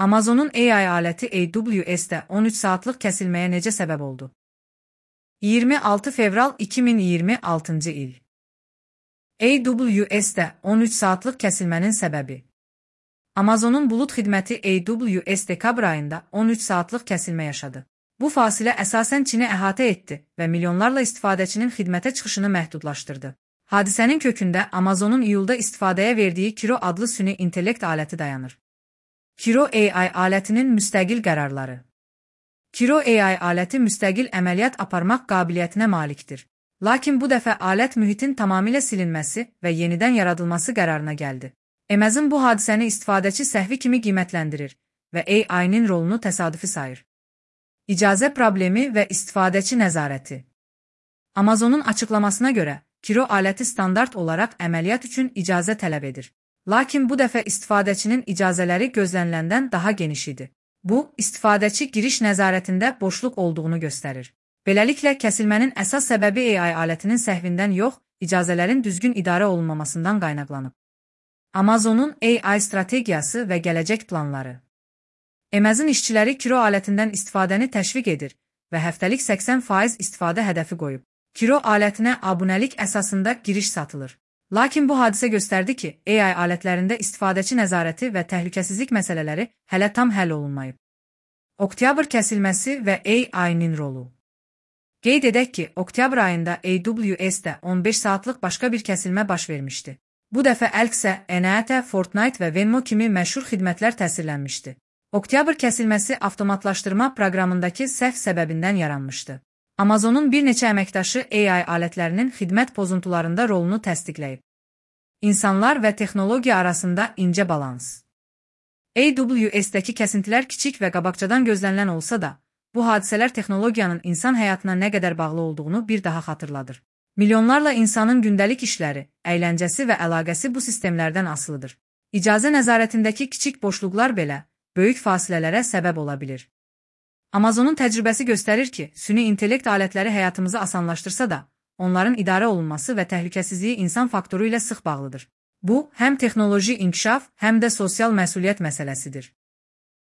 Amazon'un AI aləti AWS-də 13 saatlıq kəsilməyə necə səbəb oldu? 26 fevral 2026-cı il. AWS-də 13 saatlıq kəsilmənin səbəbi. Amazon'un bulut xidməti AWS dekabr ayında 13 saatlıq kəsilmə yaşadı. Bu fasilə əsasən Çini əhatə etdi və milyonlarla istifadəçinin xidmətə çıxışını məhdudlaşdırdı. Hadisənin kökündə Amazon'un iyulda istifadəyə verdiyi Kiro adlı süni intellekt aləti dayanır. Kiro AI alətinin müstəqil qərarları. Kiro AI aləti müstəqil əməliyyat aparmaq qabiliyyətinə malikdir. Lakin bu dəfə alət mühitin tamamilə silinməsi və yenidən yaradılması qərarına gəldi. Amazon bu hadisəni istifadəçi səhvi kimi qiymətləndirir və AI-nin rolunu təsadüfi sayır. İcazə problemi və istifadəçi nəzarəti. Amazon'un açıqlamasına görə, Kiro aləti standart olaraq əməliyyat üçün icazə tələb edir. Lakin bu dəfə istifadəçinin icazələri gözləniləndən daha geniş idi. Bu, istifadəçi giriş nəzarətində boşluq olduğunu göstərir. Beləliklə, kəsilmənin əsas səbəbi AI alətinin səhvindən yox, icazələrin düzgün idarə olunmamasından qaynaqlanıb. Amazon'un AI strategiyası və gələcək planları. Amazon işçiləri Kiro alətindən istifadəni təşviq edir və həftəlik 80% istifadə hədəfi qoyub. Kiro alətinə abunəlik əsasında giriş satılır. Lakin bu hadisə göstərdi ki, AI alətlərində istifadəçi nəzarəti və təhlükəsizlik məsələləri hələ tam həll olunmayıb. Oktyabr kəsilməsi və AI-nin rolu. Qeyd edək ki, oktyabr ayında AWS-də 15 saatlıq başqa bir kəsilmə baş vermişdi. Bu dəfə Elxsə, Enata, Fortnite və Venmo kimi məşhur xidmətlər təsirlənmişdi. Oktyabr kəsilməsi avtomatlaşdırma proqramındakı səhv səbəbindən yaranmışdı. Amazon'un bir neçə əməkdaşı AI alətlərinin xidmət pozuntularında rolunu təsdiqləyib. İnsanlar və texnologiya arasında incə balans. AWS-dəki kəsintilər kiçik və qabaqcadan gözlənilən olsa da, bu hadisələr texnologiyanın insan həyatına nə qədər bağlı olduğunu bir daha xatırladır. Milyonlarla insanın gündəlik işləri, əyləncəsi və əlaqəsi bu sistemlərdən asılıdır. İcazə nəzarətindəki kiçik boşluqlar belə böyük fasilələrə səbəb ola bilir. Amazon'un təcrübəsi göstərir ki, süni intellekt alətləri həyatımızı asanlaşdırsa da, onların idarə olunması və təhlükəsizliyi insan faktoru ilə sıx bağlıdır. Bu, həm texnoloji inkişaf, həm də sosial məsuliyyət məsələsidir.